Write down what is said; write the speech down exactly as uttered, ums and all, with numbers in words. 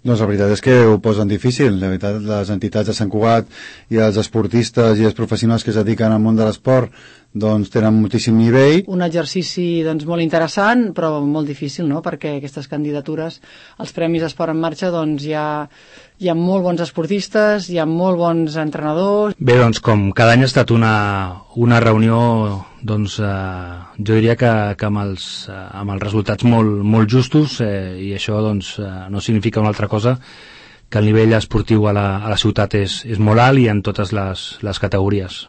Doncs la veritat és que ho posen difícil. La veritat, les entitats de Sant Cugat i els esportistes i els professionals que es dediquen al món de l'esport doncs tenen moltíssim nivell. Un exercici doncs, molt interessant, però molt difícil, no?, perquè aquestes candidatures, els Premis Esport en Marxa, doncs hi ha, hi ha molt bons esportistes, hi ha molt bons entrenadors. Bé, doncs com cada any ha estat una, una reunió, doncs eh, jo diria que, que amb, els, eh, amb els resultats molt, molt justos, eh, i això doncs eh, no significa una altra cosa que el nivell esportiu a la, a la ciutat és, és molt alt i en totes les, les categories.